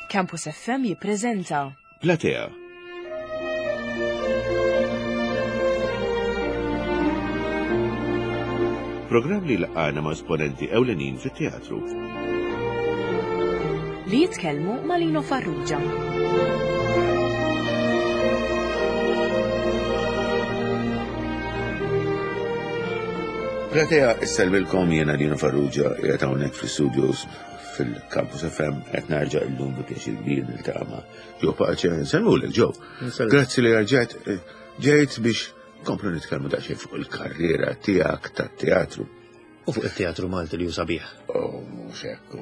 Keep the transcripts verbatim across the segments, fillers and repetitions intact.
Campus F M jippreżenta Platea. Programm li laqana ma' esponenti ewlenin fit-teatru. Li jitkellmu ma' Lino Farrugia. Platea issellmilkom, jiena Lino Farrugia, qiegħed hawnhekk fl-studios fil-Campus F M, qed narġa' illum bi pjaċir kbir niltaqa' ma' Joe Pace. Nsellmulek, Joe. Grazzi li rġajt eh, ġejt biex komplu nitkellmu daqsxejn fuq il-karriera tiegħek tat-teatru. U fuq il-teatru Malti li hu sabiħ. Oh, mhux hekk,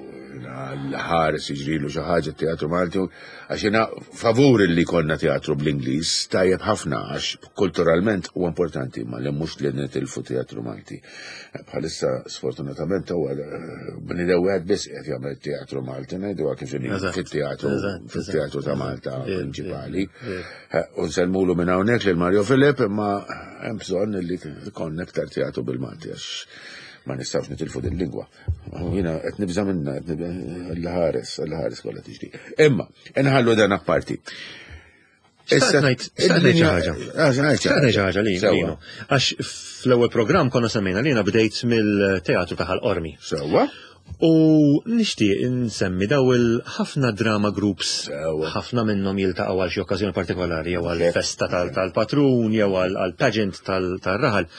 l-ħares jiġrilu xi ħaġa teatru Malti, għax jiena favur li konna teatru bl-Ingliż, tajjeb ħafna għax kulturalment huwa importanti, ma li mhux li nitilfu teatru Malti. Bħalissa sfortunatament huwa bniedem wieħed biss qed jagħmel teatru Malti, ngħidu kif inhi Eżatt. fit-teatru Eżatt, fit-teatru ta' eżatt. Malta Ver, prinċipali. ver. Eh, U nsellmulu minn hawnhekk lil Mario Filip, imma hemm bżonn li konna iktar teatru bil-Malti għax ma nistgħux nitilfu din lingwa. Jiena qed nibża' minna, qed nibża' l-ħares, l-ħares kollha tiġri. Imma, inħallu dan apparti. Xtaqt ngħid- xtaqt ngħid xi ħaġa. Xtaqt Xtaqt ngħid xi ħaġa li Lino. Għax fl-ewwel programm konna semmejna li jiena bdejt mill-teatru ta' Ħal Qormi. Sewwa? U nixtieq insemmi daw il-ħafna drama groups, Sewwa. ħafna minnhom jiltaqgħu għal xi okkażjoni partikolari jew għal Kif? festa tal- tal-patrun jew għal għal pageant tal- tal-raħal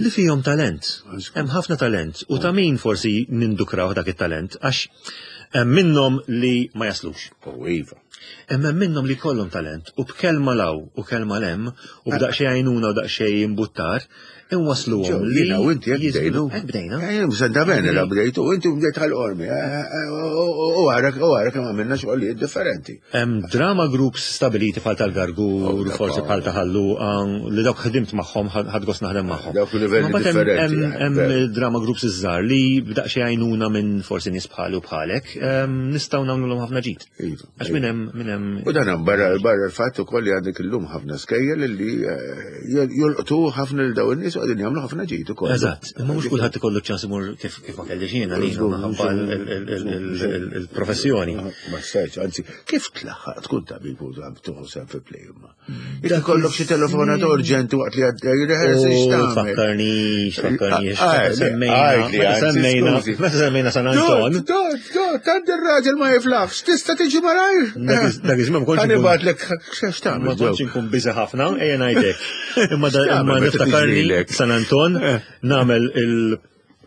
li fihom talent. Hemm ħafna talent u ta' min forsi nindukraw dak it-talent għax hemm minnhom li ma jaslux. U iva. Hemm hemm minnhom li kollhom talent u b'kelma law u kelma lem u b'daqsxejn għajnuna u daqsxejn imbuttar inwasluhom li Jiena u inti hekk jiżblu- bdejnu. Hekk bdejna. Eh, Senta bene la bdejtu, u inti bdejt Ħal Qormi. U għarak, u għarak kemm għamilna xogħlijiet differenti. Hemm drama groups stabiliti bħal tal-Gargur, Oh, forsi bħal ta' Ħal Luqa, li dawk ħdimt magħhom, ħadt gost naħdem magħhom. Dawk livelli Ma mbagħad hemm- differenti, Hemm eh, hemm veru. drama groups iż-żgħar li b'daqsxejn għajnuna minn forsi nies bħali u bħalek, ehm, nistgħu nagħmluhom ħafna ġid. Iva, Għax minn hemm minn hemm U dan hemm barra barra l-fatt ukoll li għandek illum ħafna skejjel li eh, jolqtu ħafna lil dawn in-nies u qegħdin jagħmlu ħafna ġid ukoll. Eżatt, imma mhux kulħadd ikollu ċans imur kif kif ma kellix jiena li Żgur, minħabba żgur, l- il- il- il- il-professjoni. Ma stajtx, anzi, kif tlaħħaq tkun tabib u tieħu sehem fi play imma? Jekk ikollok xi telefonata urġenti waqt li għaddej rehearsal, U x'tagħmel? Fakkarni, fakkarni, Ah, ah, semmejna, għajd li, meta anzi, semmejna, skużi. meta semmejna San Anton, Dot, dot, dot, tant ir-raġel ma jiflaħx, tista' tiġi malajr? Dak iż- dak iż-żmien ma kontx Ħa inkun- nibgħatlek x'tagħmel? Ma kontx inkun busy ħafna, ejja ngħidlek. Imma da- X'tagħmel imma meta niftakarni tiġrilek? San Anton Eh. nagħmel il-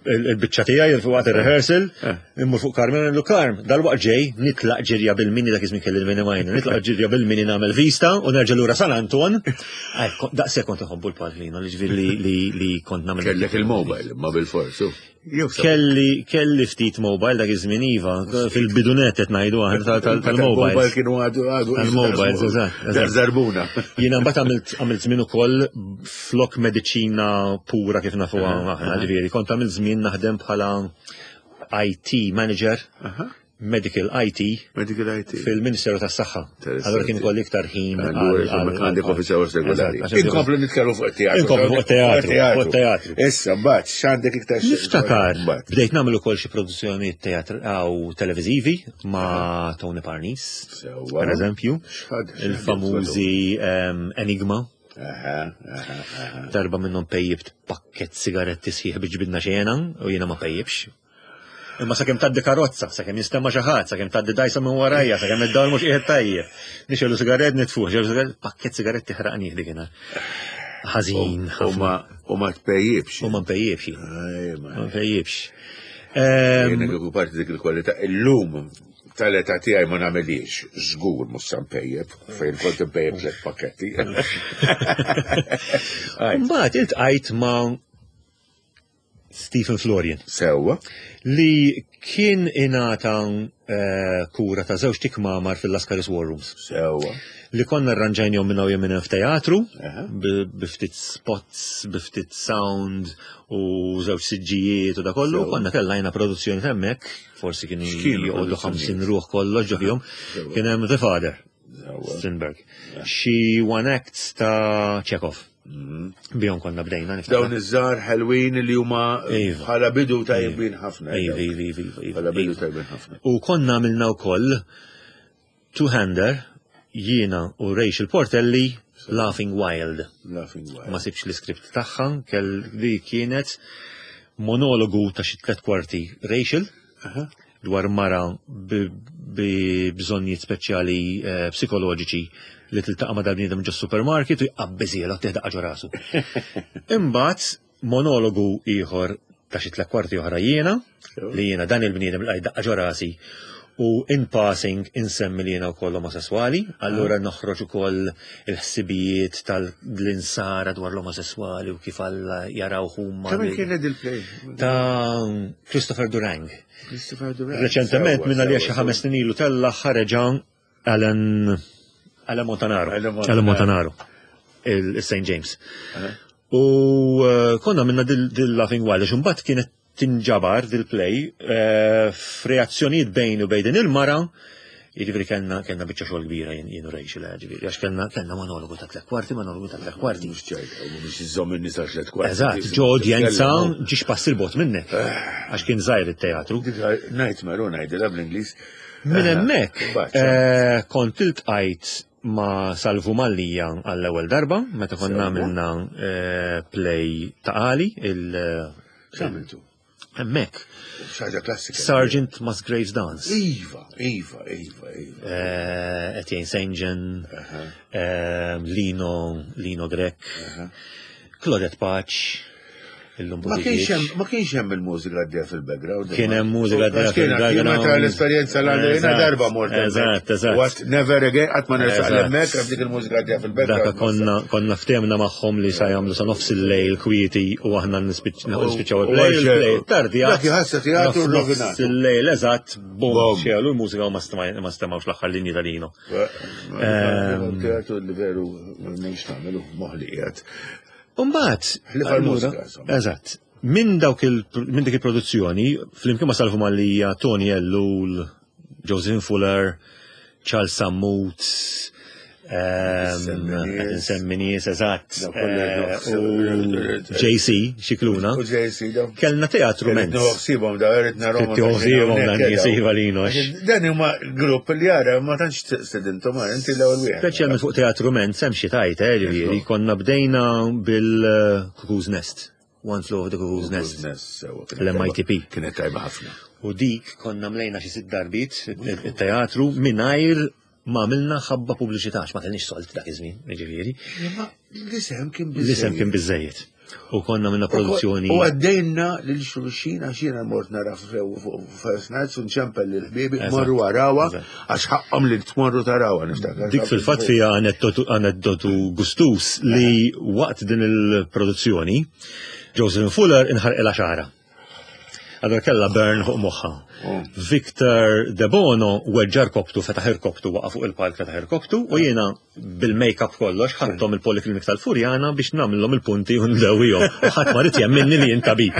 il- il-biċċa tiegħi waqt ir-rehearsal, Eh. immur fuq Carmen ngħidlu, "Carm, dal-waqt ġej," nitlaq ġirja bil-mini, dak iż-żmien kelli l-mini minor, nitlaq ġirja bil-mini nagħmel vista u nerġa' lura San Anton. Ej, ko- Daqshekk kont inħobbu l-palk Lino, li ġifieri li li li kont nagħmel. Kellek il-mobile, ma bil-forsu. Jew sa- Kelli kelli ftit mobile dak iż-żmien, iva, fil-bidunet qed ngħidu aħna tal- tal- tal-mobiles. Tal-mobile kienu għadu għadu. Tal-mobiles, eżatt, eżatt. Zarbuna. Jiena mbagħad għamilt għamilt żmien ukoll flok mediċina pura kif nafuha aħna, ġifieri kont għamilt żmien naħdem bħala I T manager, medical I T Medical I T. fil-Ministeru tas-Saħħa. Interessanti. Allora kien ikolli iktar ħin. Allura, għal- għandek office hours regolari. Eżatt, għax Inkomplu nitkellmu fuq it-teatru. Inkomplu fuq it-teatru, fuq it-teatru. Issa, mbagħad, x'għandek iktar xi- Niftakar, Mbagħad. bdejt nagħmel ukoll xi produzzjoni teatr aw televiżivi ma' Tony Parnis, Sewwa. per eżempju, X'ħad- il-famużi ehm, Enigma. Aha, aha, aha. Darba minnhom pejjibt pakket sigaretti sħiħ biex ġbidna xena u jiena ma pejjibx. Imma sakemm tgħaddi karozza, sakemm jinstema' xi ħadd, sakemm tgħaddi dajsa minn warajja, sakemm id-dawl mhux qiegħed tajjeb. Nixgħelu sigarett nitfuh, nixgħelu sigarett, pakket sigaretti ħraqnih dikinhar. Ħażin, U ħafna. ma u ma tpejjibx. U ma npejjibx. Aj, ma- Ma npejjibx. Ehm, Jiena kieku parti dik il-kwalità illum tal-età tiegħi ma nagħmelix, żgur mhux sa npejjeb, fejn kont npejjeb tliet pakketti. Aj, Mbagħad iltqajt ma' Stephen Florian Sewwa. li kien ingħata eh, kura ta' żewġ kmamar fil-Lascaris War Rooms. Sewwa. Li konna arranġajnihom minn hawn minn f'teatru, Aha. bi ftit spots, bi ftit sound u żewġ siġġijiet u da kollu, Sewwa. konna tellajna produzzjoni hemmhekk, forsi kienu X'kienu joqogħdu produzzjonijiet? ħamsin ruħ kollox ġo fihom. Sewwa. Kien hemm The Father, Sewwa. Strindberg. Xi one acts ta' Chekhov. Bihom konna bdejna niftakar. Dawn iż-żgħar ħelwin li huma Iva. bħala bidu tajbin ħafna. Iva, iva, iva, iva, Bħala bidu iva. tajbin ħafna. U konna għamilna wkoll two-hander, jiena u Rachel Portelli, Laughing Wild. Laughing Wild. Ma sibx l-iskript tagħha, kell li kienet monologu ta' xi tliet kwarti Rachel Aha. dwar mara bi bi bżonnijiet speċjali eh, psikoloġiċi li tiltaqa' ma' dal-bniedem ġo supermarket u jqabbiżiela u teħdaqqa ġo rasu. Imbagħad monologu ieħor ta' xi tliet kwarti oħra jiena, li jiena dan il-bniedem li daqqa ġo rasi u in passing insemmi li jiena wkoll omosessuali, allura noħroġ ukoll il-ħsibijiet tal-insara dwar l-omosessuali u kif Alla jaraw huma. Ta' min li- kienet il-play? Ta' Christopher Durang. Christopher Durang. Reċentement Sewwa, minna li sewwa, xi ħames snin ilu tella ħareġa Alan Alan Montanaro. Alan Montanaro. Alan Montanaro. Il-Saint James. Aha. U eh, konna minna dil dil Laughing Wild, għax imbagħad kienet tinġabar dil-play eh, f'reazzjonijiet bejn u bejn din il-mara, jiġifieri kellna kellna biċċa xogħol kbira jien jien u Rachel, eh, ġifieri għax kellna kellna monologu ta' tliet kwarti, monologu ta' tliet kwarti. Mhux ċajta, u mhux iżomm in-nisa tliet kwarti. Eżatt, ġo udjenza ġiex pass il-bot minnek, għax kien żgħir it-teatru. Dik Nightmare, u ngħidilha bl-Ingliż. Minn hemmhekk Mbagħad, eh, kont iltqajt ma' Salvu Mallija għall-ewwel darba, meta konna Sewwa. għamilna eh, play ta' Ali, il X'għamiltu? hemmhekk. Xi ħaġa klassika. Sergeant Musgrave's Dance. Iva, Iva, Iva, Iva. Eh, Etienne Saint John, Aha, eh, Lino, Lino Grech, aha. Claudette Pace, illum Ma kienx Buttigieg. hemm ma kienx hemm il-mużika għaddejja fil-background. Kien hemm mużika għaddejja Għax kien- fil-background. Jien meta l-esperjenza l għandha jiena Eżatt, darba mort hemmhekk. eżatt, eżatt. What never again, qatt ma nersaq Eżatt. hemmhekk għax dik il-mużika għaddejja fil-background. Daka konna konna ftehmna magħhom li sa jagħmlu sa nofs il-lejl kwieti u aħna nispiċ- nispiċċaw U il-play, għax- il-play tardi Dak jħassa teatru nofs rovinat. il-lejl eżatt, bum, Bum. xegħlu l-mużika u ma stema- ma stemawx l-aħħar linji ta' Lino. Ehm. Teatru li veru m'hemmx nagħmlu moħli qiegħed. Umbagħad, Ħlief għall-mużika, allura, insomma. eżatt, minn dawk il minn dik il-produzzjoni, flimkien ma' Salvu Mallija, Tony Ellul, Josephine Fuller, Charles Sammut, ehm, Nsemmi nies. qed nsemmi nies, eżatt, Daw kollha eh, nofs- u J C Xikluna, U J C daw. kellna teatru Irrid mens. noħsibhom daw, irrid narahom. Trid toħsibhom dan nies, iva Lino, għax- Dan huma grupp li jara ma tantx stedintom inti l-ewwel wieħed. Speċjalment fuq teatru mens, hemm xi tajt, eh, ġifieri, konna bdejna bil-Cuckoo's Nest. One Flew Over the Cuckoo's Nest. Nest. L-M I T P. Kienet tajba ħafna. U dik konna mlejna xi sitt darbiet it-teatru mingħajr ma għamilna ħabba pubbliċità, għax ma kellniex sold dak iż-żmien, jiġifieri. Imma l-isem kien L-isem kien biżejjed. U konna minna produzzjoni. U għaddejna lil xulxin għax jiena mort nara First Nights u nċempel lil ħbiebi Eżatt. morru arawha Eżatt. għax ħaqhom li tmorru tarawha niftakar. Dik fil-fatt fija aneddotu aneddotu gustus li waqt din il-produzzjoni Josephine Fuller inħarqilha xagħarha. Allora kella burn fuq moħħa. Oh. Victor De Bono weġġa rkobtu, fetaħ irkobtu, waqa' fuq il-palk fetaħ irkobtu, u jiena bil-make-up kollox ħadthom il-poliklinik tal-Furjana biex nagħmilhom il-punti u ndewwihom. U ħadd ma ried jemminni li jien tabib.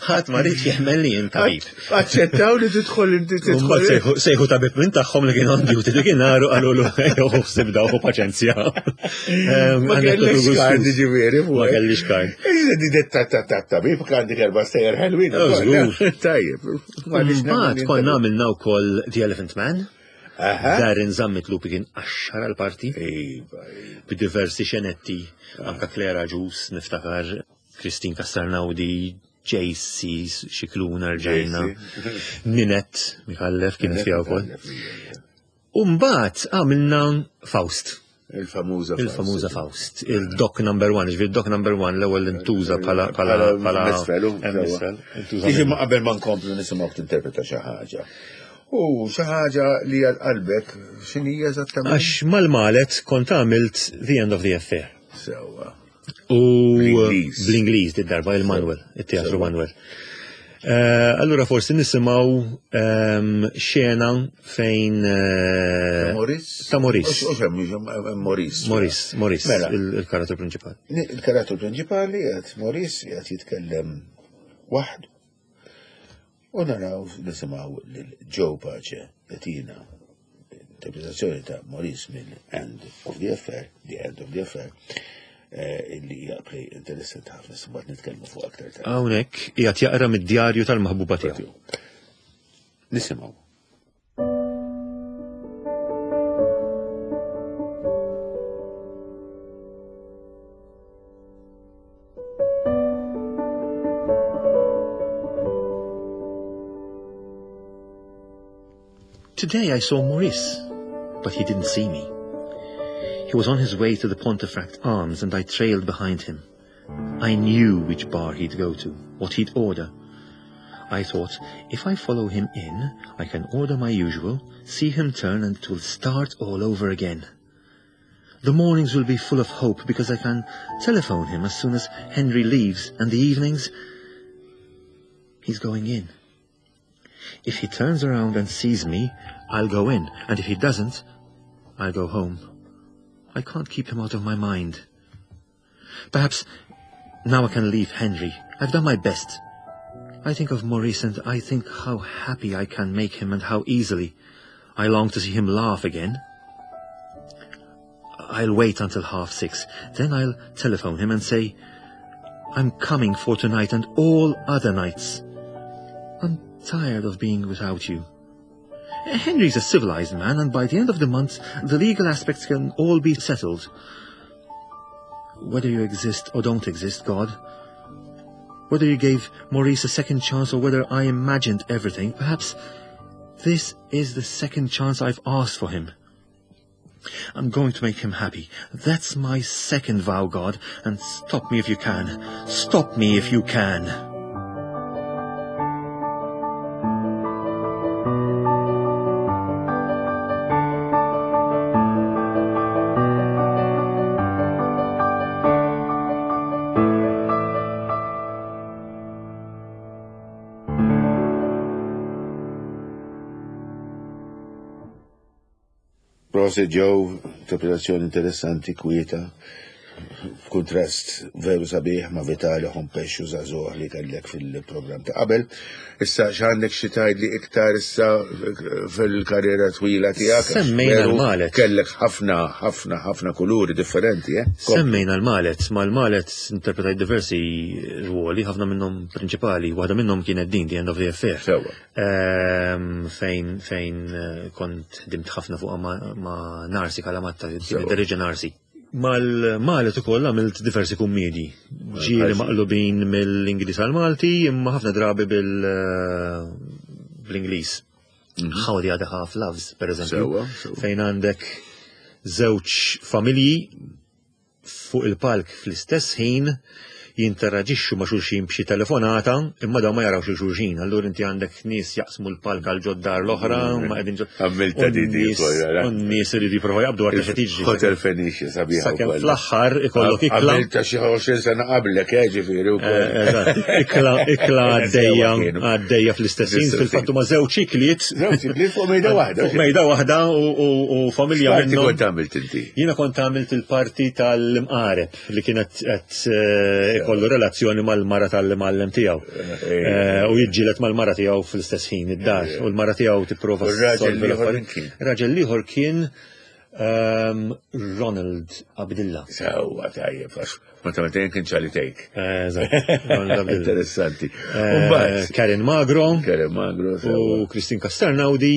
Ħadd ma ried jemmen li jien tabib. Aċċettaw li tidħol inti Mbagħad tidħol. sejħu- Sejħu tabib minn tagħhom li kien on duty dik inharu qalu ejjew ħsib daw ħu paċenzja. Ehm, Ma kellix kard ġifieri fuq. Ma kellix kard. Iżda di detta ta' ta' tabib għandek erba' stejjer ħelwin. Oh, żgur. Tajjeb. Mbagħad konna għamilna wkoll The Elephant Man. Aha. Darren Zammit Lupi kien qaxxar għal-parti Iva, iva. b'diversi xenetti, anka Clara Ġus, niftakar, Christine Castarnaudi, J C Xikluna rġajna, Ninet Mikallef kienet fiha wkoll. U mbagħad għamilna Faust. Il-famuża Il-famuża Faust, il-Doc number one, ġifieri Doc number one l-ewwel intuża bħala bħala bħala Misfel, Misfel, intuża Tiġi ma qabel ma nkomplu nisimgħu tinterpreta xi ħaġa. U xi ħaġa li għal qalbek x'inhi eżattament? Għax mal-Malet kont għamilt The End of the Affair. Sewwa. U Bl-Ingliż. bl-Ingliż dit darba il-Manuel, il-Teatru Manuel. Eh, Allura forsi nisimgħu ehm, xena fejn eh, Maurice? Ta' Maurice. U xem, Maurice. Maurice, Maurice, Mela. il- il-karattru prinċipali. Il-karattru prinċipali għad Maurice għad jitkellem waħdu. U naraw nisimgħu lil Joe Pace jagħtina interpretazzjoni ta' Maurice mill End of the Affair, The End of the Affair, eh, illi hija play interessanti ħafna mbagħad nitkellmu fuq aktar tard. Hawnhekk qiegħed jaqra mid-djarju tal-maħbuba tiegħu. Nisimgħu. Today I saw Maurice, but he didn't see me. He was on his way to the Pontefract Arms, and I trailed behind him. I knew which bar he'd go to, what he'd order. I thought, if I follow him in, I can order my usual, see him turn, and it will start all over again. The mornings will be full of hope because I can telephone him as soon as Henry leaves, and the evenings... He's going in. If he turns around and sees me, I'll go in, and if he doesn't, I'll go home. I can't keep him out of my mind. Perhaps now I can leave Henry. I've done my best. I think of Maurice and I think how happy I can make him and how easily. I long to see him laugh again. I'll wait until half six. Then I'll telephone him and say, I'm coming for tonight and all other nights. I'm tired of being without you. Henry's a civilized man, and by the end of the month, the legal aspects can all be settled. Whether you exist or don't exist, God, whether you gave Maurice a second chance or whether I imagined everything, perhaps this is the second chance I've asked for him. I'm going to make him happy. That's my second vow, God, and stop me if you can. Stop me if you can. Prosit Joe, interpretazzjoni interessanti, kwieta, f'kuntrast veru sabiħ ma' Vitali Hompesch u żagħżugħ li kellek fil-programm ta' qabel. Issa x'għandek xi tgħidli iktar issa fil-karriera twila tiegħek? Semmejna l-Malet. Kellek ħafna, ħafna, ħafna kuluri differenti, eh? Semmejna l-Malet, mal-Malet interpretajt diversi ruoli, ħafna minnhom prinċipali, waħda minnhom kienet din, The End of the Affair. Sewwa. Ehm, fejn fejn eh, kont ħdimt ħafna fuq ma, ma Narsi Kalamatta, Sewwa. dirigja Narsi. Mal-Malet ukoll għamilt diversi kummedji. Ġieli maqlubin mill-Ingliż għal-Malti, imma ħafna drabi bil eh, bl-Ingliż. How the Other Half Loves, per eżempju. Sewwa, sewwa. Fejn għandek żewġ familji fuq il-palk fl-istess ħin jinteraġixxu ma' xulxin b'xi telefonata, imma dawn ma jarawx il xulxin. Allura inti għandek nies jaqsmu l-palk għal ġod-dar l-oħra, ma qegħdin ġod. Għamilta di di U n-nies- ukoll, ara. U n-nies iridu jipprovaw jaqbdu għar xi tiġri. Hotel Fenicia sabiħa Sakemm wkoll. fl-aħħar ikollok ikla. Għamilta xi għoxrin sena qablek, eh, ġifieri wkoll. Eh, Eżatt, ikla ikla għaddejja Sewwa kienu. għaddejja fl-istess ħin, Fl-istess fil-fatt huma żewġ ikliet. Żewġ ikliet fuq mejda waħda. Fuq mejda waħda u- u u familja X'parti minnhom. kont għamilt inti? Jiena kont għamilt il-parti tal-imqareb li kienet qed eh, ikollu relazzjoni mal-mara tal-imgħallem tiegħu. Eh, Eh, U jiġġieled mal-mara tiegħu fl-istess ħin id-dar. U l-mara tiegħu tipprova U r-raġel ssolvi l-ieħor l-affarijiet. min kien? Raġel l-ieħor kien ehm, Ronald Abdilla. Sewwa tajjeb, għax ma ta' meta kien Charlie Take. Eh, Eżatt, Ronald Abdilla. Interessanti. Eh, Umbagħad, Karen Magro Karen Magro, u sewwa. Christine Castelnaudi,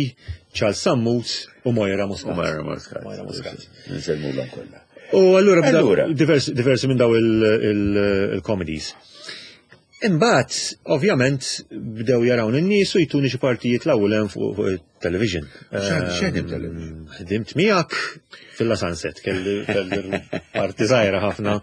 Charles Sammut u Moira Muscat. U Mara Muscat. Moira Muscat. Nsellmulhom kollha. U allura bda Allura. diversi, diversi minn daw il-comedies. Imbagħad, ovvjament, bdew jarawn in-nies u jtuni xi partijiet l-ewwel hemm fuq fuq il-television. X'għad- x'għedim Ehm, television? Ħdimt miegħek fil-La Sunset, kelli kelli parti żgħira ħafna.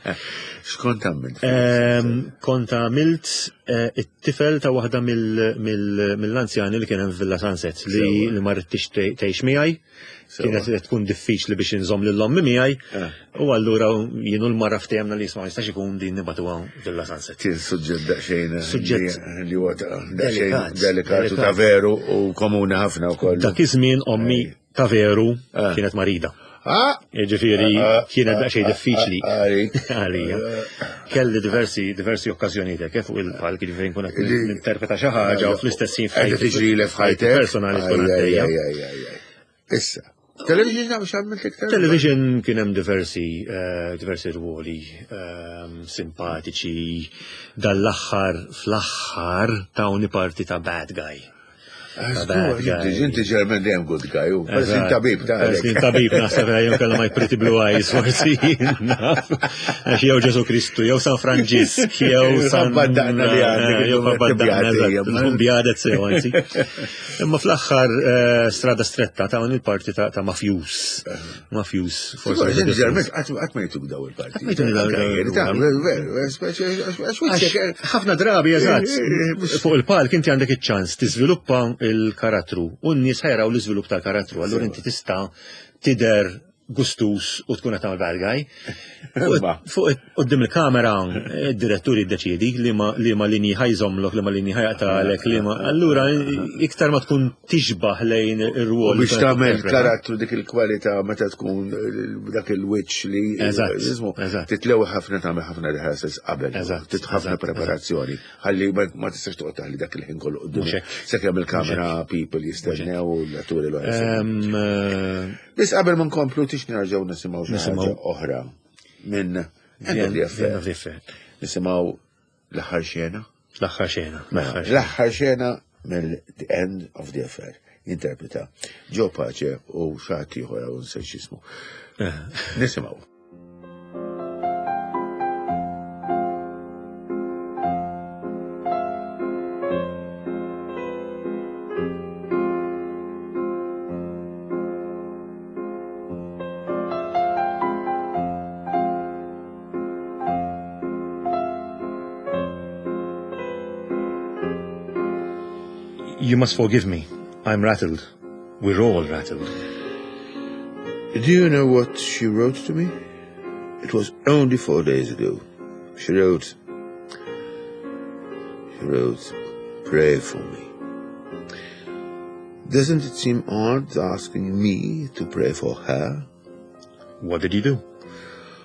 X'kont għamilt? Ehm, Kont għamilt eh, it-tifel ta' waħda mill- mill- mill-anzjani li kien hemm Villa Sunset li Sewwa. li ma ridtix tgħix miegħi. Sewwa. Kienet qed tkun diffiċli biex inżomm lil ommi miegħi. Eh. U allura jien u l-mara ftehemna li jisma' jistax ikun din nibatuha Villa Sunset. Kien suġġett daqsxejn Suġġett li- li huwa ta' daqsxejn delikat, delikat u ta' delikat. veru u komuni ħafna wkoll. Dak iż-żmien ommi ta' veru Eh. kienet marida. Ah! Jiġifieri Ah, kienet ah, daqsxejn ah, diffiċli ah, għalik. għalija. Kelli diversi diversi okkażjonijiet hekk fuq il-palk, jiġifieri nkun qed Li- ninterpreta xi ħaġa u fl-istess ħin Qed tiġri le f'ħajtek. personali tkun Aj, aj, għaddejja. aj, aj, aj, aj. Issa, television naf x'għamilt iktar? Television kien hemm diversi eh, diversi ruoli ehm, simpatiċi dal-aħħar fl-aħħar tawni parti ta' bad guy. bad guy. Inti ġermen dejjem good guy, u peress tabib ta' Peress tabib naħseb jew kellha my pretty blue eyes forsi. Naf. Għax jew Ġesu Kristu, jew San Franġisk, jew San. Baddaqna li għandek, Jew baddaqna, tibjati, tkun bjadet sew anzi. Imma fl-aħħar eh, strada stretta ta' il-parti ta' ta' mafjus. Mafjus. Forsi ġermen qatt ma jtuk daw il-parti. Qatt ma jtuk daw il- Ta' veru, speċi għax Għax ħafna drabi, eżatt, fuq il-palk inti għandek iċ-ċans tiżviluppa il-karattru u n-nies ħa jaraw l-iżvilupp tal-karattru, allura inti tista' tidher gustus u tkun qed tagħmel bad guy. Imma. Fuq quddiem il-kamera id-direttur jiddeċiedi li ma li ma linji ħa jżommlok, li ma linji ħa jaqtagħlek, li ma allura iktar ma tkun tixbaħ lejn ir-rwol. U biex tagħmel karattru dik il-kwalità meta tkun dak il-wiċċ li Eżatt, jismu, eżatt. titlew ħafna tagħmel ħafna rehearsals qabel. Eżatt, Tit ħafna eżatt, preparazzjoni. Ħalli ma ma tistax toqgħod taħli dak il-ħin kollu quddiem. Mhux hekk. Sakemm il-kamera people jistennew u l-atturi l Ehm, eh, Biss qabel ma nkomplu tix nerġgħu nisimgħu xi Nisimgħu. ħaġa oħra minn End of the End Affair. of the Affair. Nisimgħu l-aħħar xena. L-aħħar xena. Mela, L-aħħar xena. L-aħħar xena mill The End of the Affair. Interpreta Joe Pace u xi ħadd ieħor hawn nsejt x'ismu. Eh. Nisimgħu. You must forgive me. I'm rattled. We're all rattled. Do you know what she wrote to me? It was only four days ago. She wrote, she wrote, pray for me. Doesn't it seem odd asking me to pray for her? What did you do?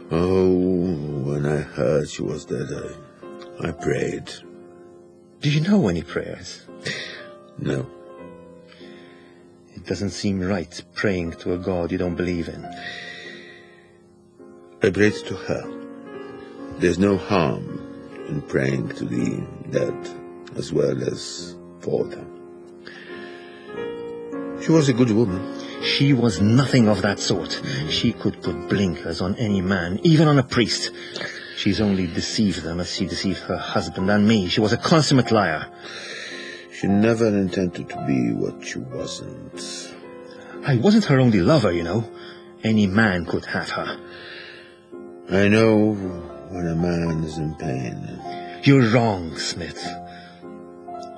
Oh, when I heard she was dead, I, I prayed. Do you know any prayers? No. It doesn't seem right praying to a God you don't believe in. I prayed to her. There's no harm in praying to the dead as well as for them. She was a good woman. She was nothing of that sort. She could put blinkers on any man, even on a priest. She's only deceived them as she deceived her husband and me. She was a consummate liar. She never intended to be what she wasn't. I wasn't her only lover, you know. Any man could have her. I know when a man is in pain. You're wrong, Smith.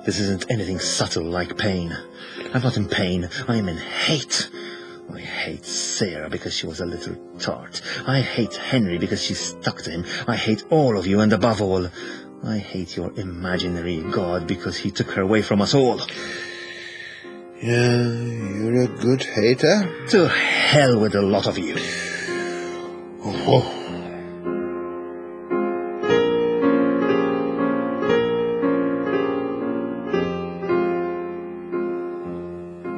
This isn't anything subtle like pain. I'm not in pain. I'm in hate. I hate Sarah because she was a little tart. I hate Henry because she stuck to him. I hate all of you, and above all, I hate your imaginary God because he took her away from us all. Yeah, you're a good hater. To hell with the lot of you. Oh.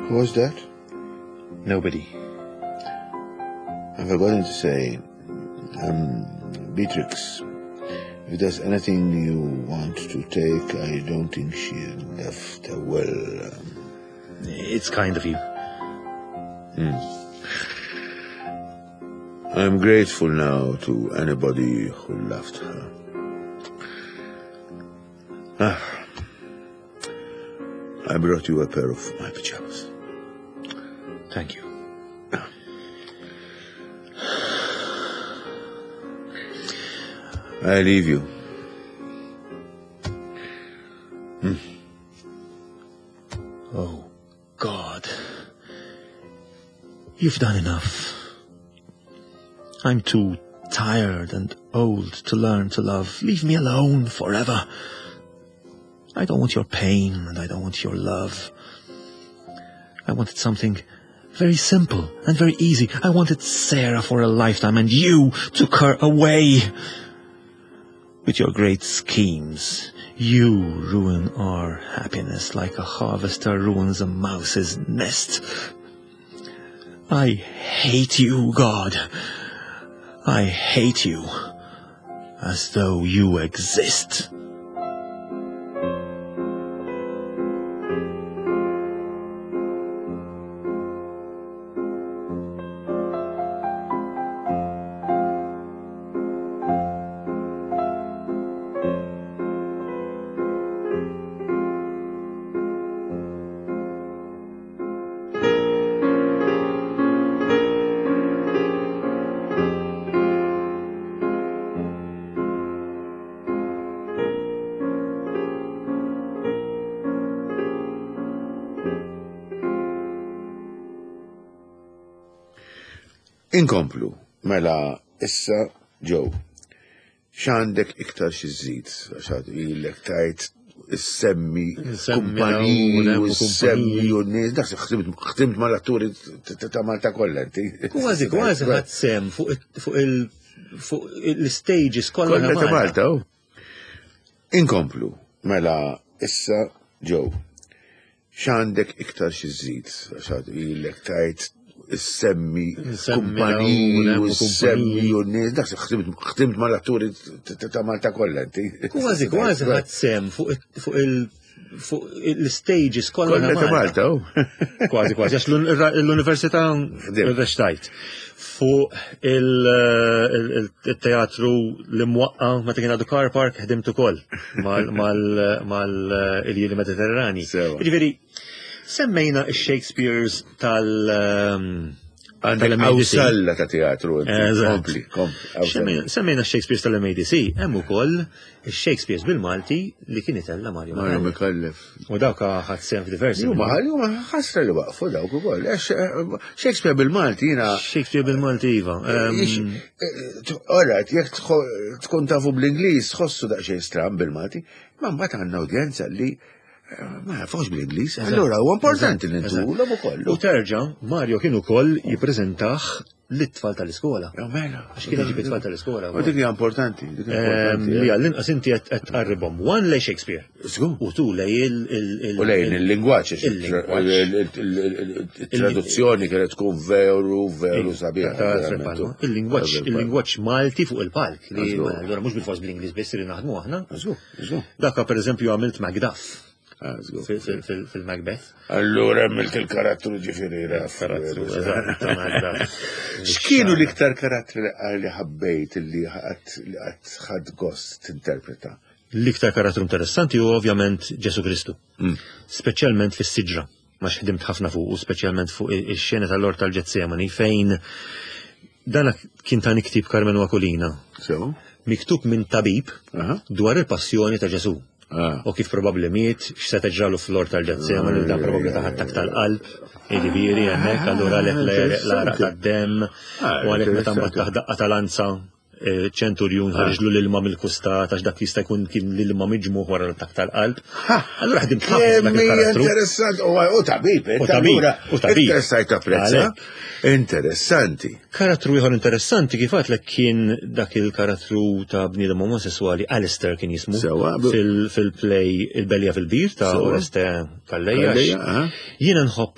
Who was that? Nobody. I've forgotten to say, um, Beatrix, if there's anything you want to take, I don't think she left a will. It's kind of you. I'm grateful now to anybody who loved her. Ah, I brought you a pair of my pajamas. Thank you. I leave you. Oh, God. You've done enough. I'm too tired and old to learn to love. Leave me alone forever. I don't want your pain and I don't want your love. I wanted something very simple and very easy. I wanted Sarah for a lifetime and you took her away. With your great schemes, you ruin our happiness like a harvester ruins a mouse's nest. I hate you, God. I hate you. As though you exist. Inkomplu, mela issa Joe, x'għandek iktar xi żżid, għax għad ilek tajt issemmi Nsemmi kumpaniji dawn, u semmi kumpaniji. u nies, dak ħdimt ħdimt mal-atturi ta' Malta kollha inti. Kważi, kważi ħadt sehem fuq it- fuq il- fuq l-stages kollha Kollha ta' Malta, u. Inkomplu, mela issa Joe, x'għandek iktar xi żżid, għax għad ilek tajt issemmi Nsemmi kumpaniji dawn, u semmi kumpaniji. u nies, dak ħdimt ħdimt mal-atturi ta' Malta kollha inti. Kważi, kważi ħadt sehem fuq it- fuq il- fuq l-stages kollha Kollha ta' Malta, u. Kważi, kważi, għax l-università Ħdimt. rreċtajt. Fuq il-teatru li mwaqqa meta kien għadu car park ħdimt ukoll mal-Iljieli Mediterrani. Sewa. Ġifieri, semmejna il-Shakespeare's tal- um, Għandek tal-M A D C. awsalla ta' teatru. inti. Eżatt. Kompli, kompli. awsalla. Semmejna- Semmejna Shakespeare's tal-M A D C, hemm ukoll il-Shakespeare's bil-Malti li kien itella Mario Mario Micallef. Micallef. U dawk ħadt sehem f'diversi. Huma huma ħasra li waqfu dawk ukoll. Għax, eh, Shakespeare bil-Malti jiena Shakespeare bil-Malti, iva. Ehm, Alright, jekk tħo- tkun tafu bl-Ingliż, tħossu daqsxejn stram bil-Malti, ma mbagħad għandna udjenza li eh, ma jafux bl-Ingliż. Allura huwa importanti li Eżatt. ntulhom ukoll. U terġa, Mario kien ukoll jippreżentah lit-tfal tal-iskola. Ja, mela. Għax kien iġib it-tfal tal-iskola. U dik hija importanti, dik hija Ehm, importanti. Li għall-inqas inti qed qed tqarribhom. One lej Shakespeare. Żgur. U two lej il- il- il- U lejn il-lingwaġġ, il-lingwaġġ. il-traduzzjoni kienet tkun veru, veru sabiħa. Ta' verament. Palma. Il-lingwaġġ il-lingwaġġ Malti fuq il-palk li Żgur. allura mhux bil-fors bl-Ingliż biss li naħdmu aħna. Żgur, żgur. Dakka per eżempju għamilt Macduff Ah, żgur. fil- fil- fil- fil-Macbeth. Allura għamilt il-karattru ġifieri raf. Karattru, eżatt, ta' Macduff. X'kienu l-iktar karattri li li ħabbejt li ħadd li qatt ħadd gost tinterpreta? L-iktar karattru interessanti hu ovvjament Ġesu Kristu. Mm. Speċjalment fis-siġra, ma ħdimt ħafna fuq, u speċjalment fuq ix-xena tal-Ort tal-Ġetsemani fejn dana kien ta' ktieb Karmenu Aquilina, So? miktub minn tabib Aha. dwar il-passjoni ta' Ġesu. Ah. U kif probabbli miet, x'seta ġralu fl-Ort tal-Ġetsemani, li dan probabbli ta' attakk tal-qalb, jiġifieri hemmhekk, allura għalhekk l-għaraq tad-demm, Ah, u għalhekk meta mbagħad interessanti. taħ daqqa tal-lanza, eh, ċenturjun ħarġlu l-ilma mill-kustat, għax dak jista' jkun kien l-ilma miġmugħ wara l-attakk tal-qalb. Allura ħdimt ħafna dak Kemm hija il-karattru. interessanti, u u tabib, U tabib, u tabib. Interessajt tapprezza. Għalhekk. Interessanti. Karattru ieħor interessanti kif għedtlek kien dak il-karattru ta' bniedem omosessuali Alistair kien jismu Sewa, bu- fil- fil-play Il-Belja fil-Bir ta' Sewa. Oreste Calleja. Calleja, aha. Jiena nħobb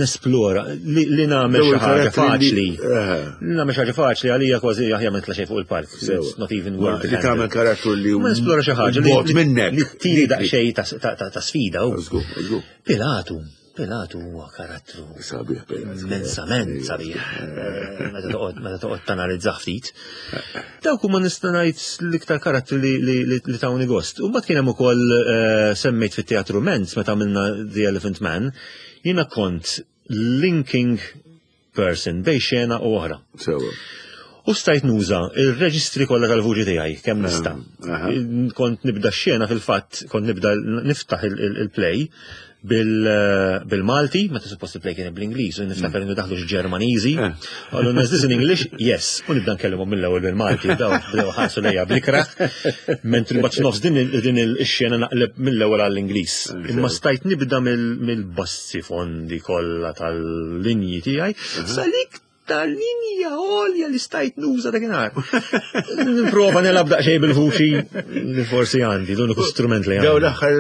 nesplora li, li nagħmel Daw xi ħaġa il-karattri li- faċli. Eh. Li nagħmel xi ħaġa faċli għalija kważi aħjar ma nitla' xejn fuq il-palk. Sewa. It's not even Ma worth Li the tagħmel handle. karattru li Ma nesplora xi ħaġa li- bot li- minnek. li tini Li- daqsxejn ta' ta' ta' ta' sfida. u. Żgur, żgur. Pilatu, Pilatu huwa karattru Sabiħ Pilatu. immensament sabiħ. Eh, Meta toqgħod meta toqgħod tanalizzah ftit. Dawk huma nista' ngħid l-iktar karattri li, li, li, li tawni gost. U mbagħad kien hemm ukoll eh, semmejt fit-teatru Menz meta għamilna The Elephant Man, jiena kont linking person bejn xena u oħra. Sewa. U stajt nuża il-reġistri kollha tal-vuċi tiegħi kemm nista'. aha. Kont nibda x-xena fil-fatt, kont nibda niftaħ il- il- il-play bil- bil-Malti, meta suppost il-play kien bl-Ingliż, u niftakar innu daħlu Ġermaniżi. Eh. Qallu is this in English? Yes. U nibda nkellimhom mill-ewwel bil-Malti, daw bdew ħarsu lejja bl-ikrah, mentri mbagħad nofs din il- din il-xena naqleb mill-ewwel għall-Ingliż. Imma stajt nibda mill- mill-bassi fondi kollha tal-linji tiegħi, salik tal-linja għolja li stajt nuża dakinhar. Nprova nilgħab daqsxejn bil-vuċi li forsi għandi, l-uniku strument li Daw għandi. l-aħħar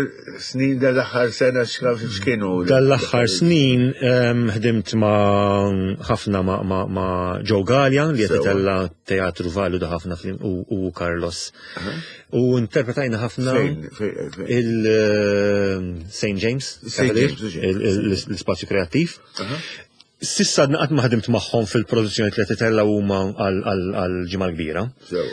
snin, daw l-aħħar sena x'kienu? Dal-aħħar snin em, ħdimt ma' ħafna ma', ma', ma' Joe Gallia li qed Sewa. itella teatru validu ħafna fl- u, u Carlos. U interpretajna ħafna Fejn, fejn, fejn. il-Saint James, Saint Cavalier, James, il- il- l-spazju kreattiv. Sissa għadna qatt ma ħdimt magħhom fil-produzzjoni li qed itella huma għal-ġimgħa l-kbira. Sewa.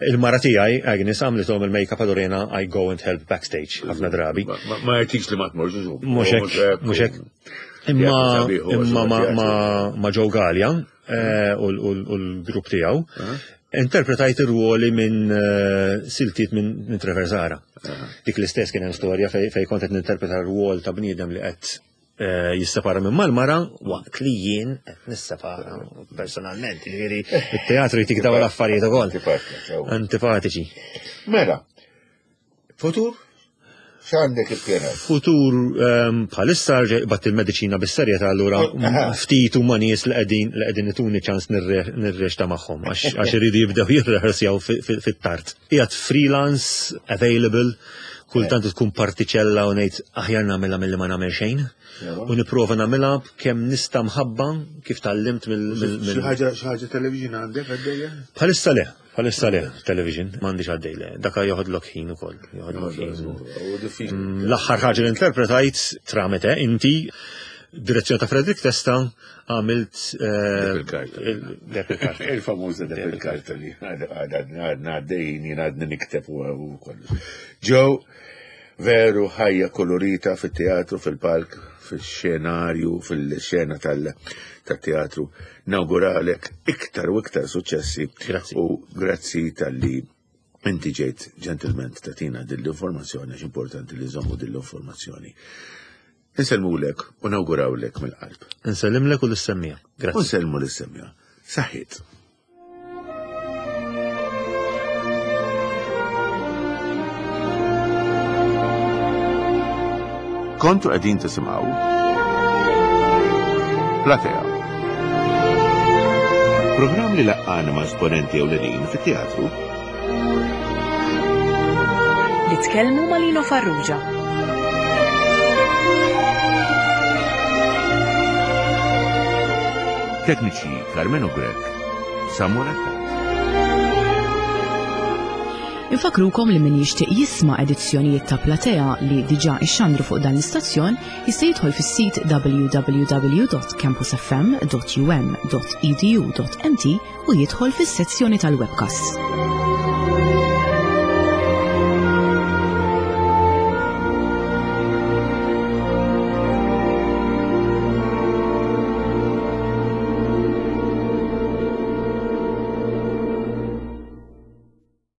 Il-mara tiegħi, Agnes, għamlithom il-make-up allura jiena I go and help backstage ħafna drabi. Ma- Ma ma jgħidx li ma tmorx. Mhux hekk, mhux hekk. Imma Sabiħ, huwa imma ma, sabiħ. ma, ma Joe Gallia eh, u l- u l- u l-grupp tiegħu interpretajt ir-ruoli minn eh, siltiet minn minn Trevor Zahra. Dik l-istess kien hemm storja fej fej kont qed ninterpreta r-rwol ta' bniedem li qed eh, jissepara minn mal-mara waqt li jien qed nissepara personalment. Jiġifieri it-teatru jtik dawn l-affarijiet ukoll. Antipatika, sew. Antipatiċi. Mela, futur? X'għandek ippjanat? Futur ehm, bħalissa rġa' bat il-mediċina bis-serjetà allura Aha. ftit huma nies li qegħdin li qegħdin ituni ċans nirreċta magħhom għax għax iridu jibdew jirrehearsjaw fit-tard. Qiegħed freelance, available, kultant tkun partiċella u ngħid aħjar nagħmilha milli ma nagħmel xejn. U nipprova nagħmilha kemm nista' mħabba kif tgħallimt mill mill- Xi mill- ħaġa xi ħaġa television għandek għaddejja? Bħalissa le, bħalissa le, television, m'għandix għaddej le. Daka joħodlok ħin ukoll, joħodlok ħin. U diffiċli. Mm, L-aħħar ħaġa li interpretajt tramite inti direzzjoni ta' Frederick Testa għamilt eh, il-karta. il- Deb il-karta. Il-famuża deb il-karta li għadna għaddejjin jien għadni nikteb u u kollox. Ġew veru ħajja kolorita fit-teatru, fil-palk, fil-xenarju, fil-xena tal-teatru. Nawguralek iktar u iktar suċċessi. Grazzi. U grazzi tal-li inti ġejt ġentilment tatina dill-informazzjoni, għax importanti li nżommu dill-informazzjoni. Insellmulek u nawgurawlek mill-qalb. Nsellimlek u l-semmija. U Grazzi. nsellmu lis-semja. Saħħit. Kontu qegħdin tisimgħu Platea. Programm li laqqana ma' esponenti ewlenin fit-teatru Li tkellmu ma' Lino Farrugia. Tekniċi Carmeno Grek, Samuel Attard. Infakrukom li min jixtieq jisma' edizzjonijiet ta' Platea li diġà ixxandru fuq dan l-istazzjon jista' jidħol fis-sit w w w dot campus f m dot u m dot e d u dot m t u jidħol fis-sezzjoni tal-webcast.